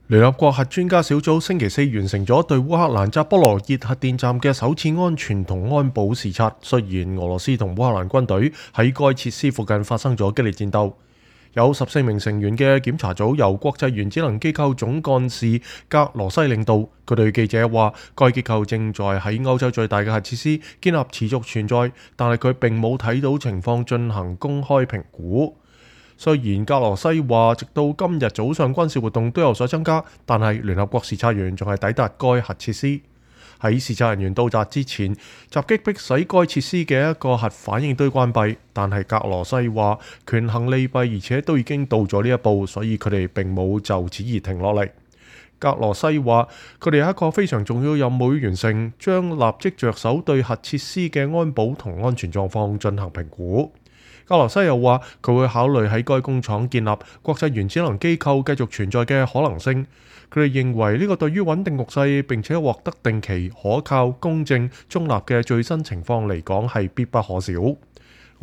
聯合國核專家小組星期四完成咗對烏克蘭扎波羅熱核電站嘅首次安全同安保視察。雖然俄羅斯同烏克蘭軍隊喺該設施附近發生咗激烈戰鬥，有14名成員嘅檢查組由國際原子能機構總幹事格羅西領導。佢對記者話，該機構正在喺歐洲最大嘅核設施建立持續存在，但係佢並冇睇到情況進行公開評估。雖然格羅西話，直到今日早上軍事活動都有所增加，但係聯合國視察員仲係抵達該核設施。喺視察人員到達之前，襲擊迫使該設施嘅一個核反應堆關閉，但係格羅西話權衡利弊，而且都已經到咗呢一步，所以佢哋並冇就此而停落嚟。格羅西話佢哋有一個非常重要任務要完成，將立即着手對核設施嘅安保同安全狀況進行評估。格羅西又話佢會考慮喺該工廠建立國際原子能機構繼續存在嘅可能性。佢哋認為呢個對於穩定局勢並且獲得定期、可靠、公正、中立嘅最新情況嚟講係必不可少。俄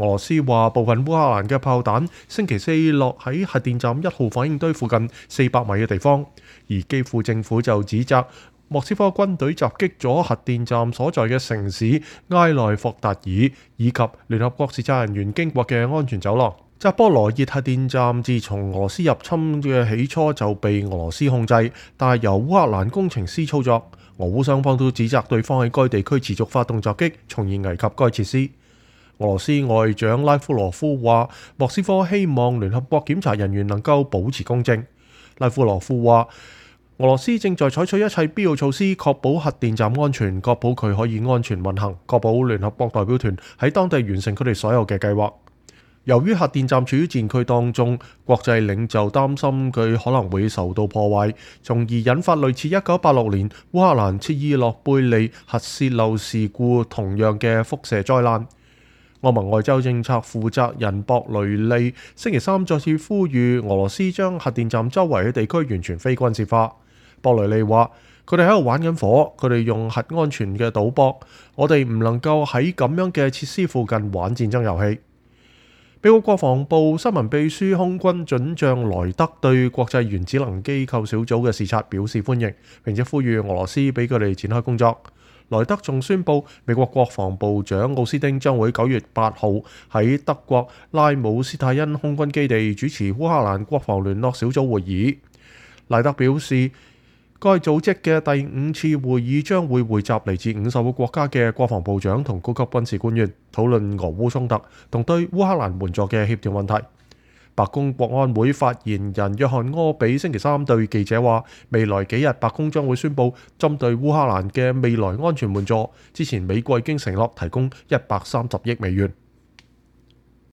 羅斯話部分烏克蘭嘅炮彈星期四落喺核電站1號反應堆附近400米嘅地方，而基輔政府就指責莫斯科軍隊襲擊咗核電站所在嘅城市埃內霍達爾，以及聯合國視察人員經過嘅安全走廊。扎波羅熱核電站自從俄羅斯入侵嘅起初就被俄羅斯控制，但係由烏克蘭工程師操作。俄烏雙方都指責對方喺該地區持續發動襲擊，從而危及該設施。俄羅斯外長拉夫羅夫話，莫斯科希望聯合國檢查人員能夠保持公正。拉夫羅夫話，俄羅斯正在採取一切必要措施，確保核電站安全，確保佢可以安全運行，確保聯合國代表團喺當地完成佢哋所有嘅計劃。由於核電站處於戰區當中，國際領袖擔心佢可能會受到破壞，從而引發類似1986年烏克蘭切爾諾貝利核泄漏事故同樣嘅輻射災難。歐盟外交政策負責人博雷利星期三再次呼籲俄羅斯將核電站周圍嘅地區完全非軍事化。博雷利話：佢哋喺度玩緊火，佢哋用核安全嘅賭博，我哋唔能夠喺咁樣嘅設施附近玩戰爭遊戲。美國國防部新聞秘書空軍准將萊德對國際原子能機構小組嘅視察表示歡迎，並且呼籲俄羅斯俾佢哋展開工作。萊德仲宣布，美國國防部長奧斯汀將會9月8號喺德國拉姆斯泰因空軍基地主持烏克蘭國防聯絡小組會議。萊德表示，該組織嘅第5次會議將會匯集嚟自50個國家嘅國防部長同高級軍事官員，討論俄烏衝突同對烏克蘭援助嘅協調問題。白宮國安會發言人約翰柯比星期三對記者話，未來幾日白宮將會宣布針對烏克蘭嘅未來安全援助。之前美國已經承諾提供130億美元。